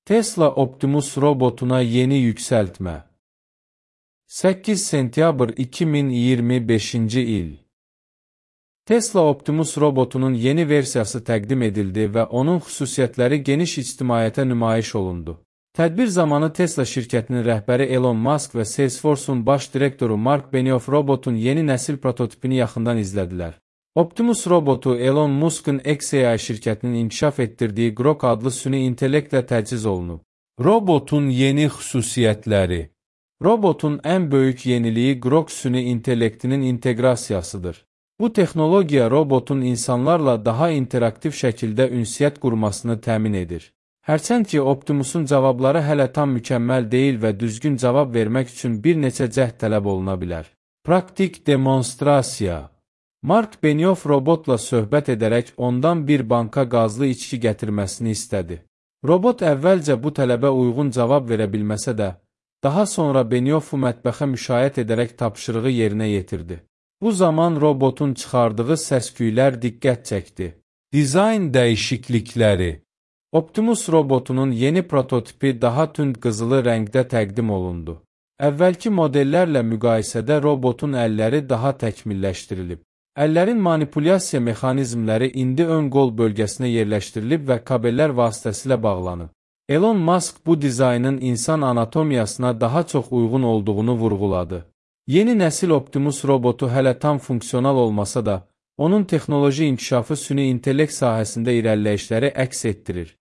Tesla Optimus robotuna yeni yükseltme. 8 sentyabr 2025-ci il. Tesla Optimus robotunun yeni versiyası təqdim edildi və onun xüsusiyyətləri geniş ictimaiyyətə nümayiş olundu. Tədbir zamanı Tesla şirkətinin rəhbəri Elon Musk və Salesforce-un baş direktoru Mark Benioff robotun yeni nəsil prototipini yaxından izlədilər. Optimus robotu Elon Musk'ın xAI şirkətinin inkişaf etdirdiyi Grok adlı süni intellektlə təchiz olunub. Robotun yeni xüsusiyyətləri. Robotun ən böyük yeniliyi Grok süni intellektinin inteqrasiyasıdır. Bu texnologiya robotun insanlarla daha interaktiv şəkildə ünsiyyət qurmasını təmin edir. Hərçənd ki, Optimus'un cavabları hələ tam mükəmməl deyil və düzgün cavab vermək üçün bir neçə cəhd tələb oluna bilər. Praktik demonstrasiya. Mark Benioff robotla söhbət edərək ondan bir banka qazlı içki gətirməsini istədi. Robot əvvəlcə bu tələbə uyğun cavab verə bilməsə də, daha sonra Benioffu mətbəxə müşayiət edərək tapşırığı yerinə yetirdi. Bu zaman robotun çıxardığı səsküylər diqqət çəkdi. Dizayn dəyişiklikləri. Optimus robotunun yeni prototipi daha tünd qızılı rəngdə təqdim olundu. Əvvəlki modellərlə müqayisədə robotun əlləri daha təkmilləşdirilib. Əllərin manipulyasiya mexanizmləri indi ön qol bölgəsinə yerləşdirilib və kabellər vasitəsilə bağlanıb. Elon Musk bu dizaynın insan anatomiyasına daha çox uyğun olduğunu vurğuladı. Yeni nəsil Optimus robotu hələ tam funksional olmasa da, onun texnoloji inkişafı süni intellekt sahəsində irəliləyişləri əks etdirir.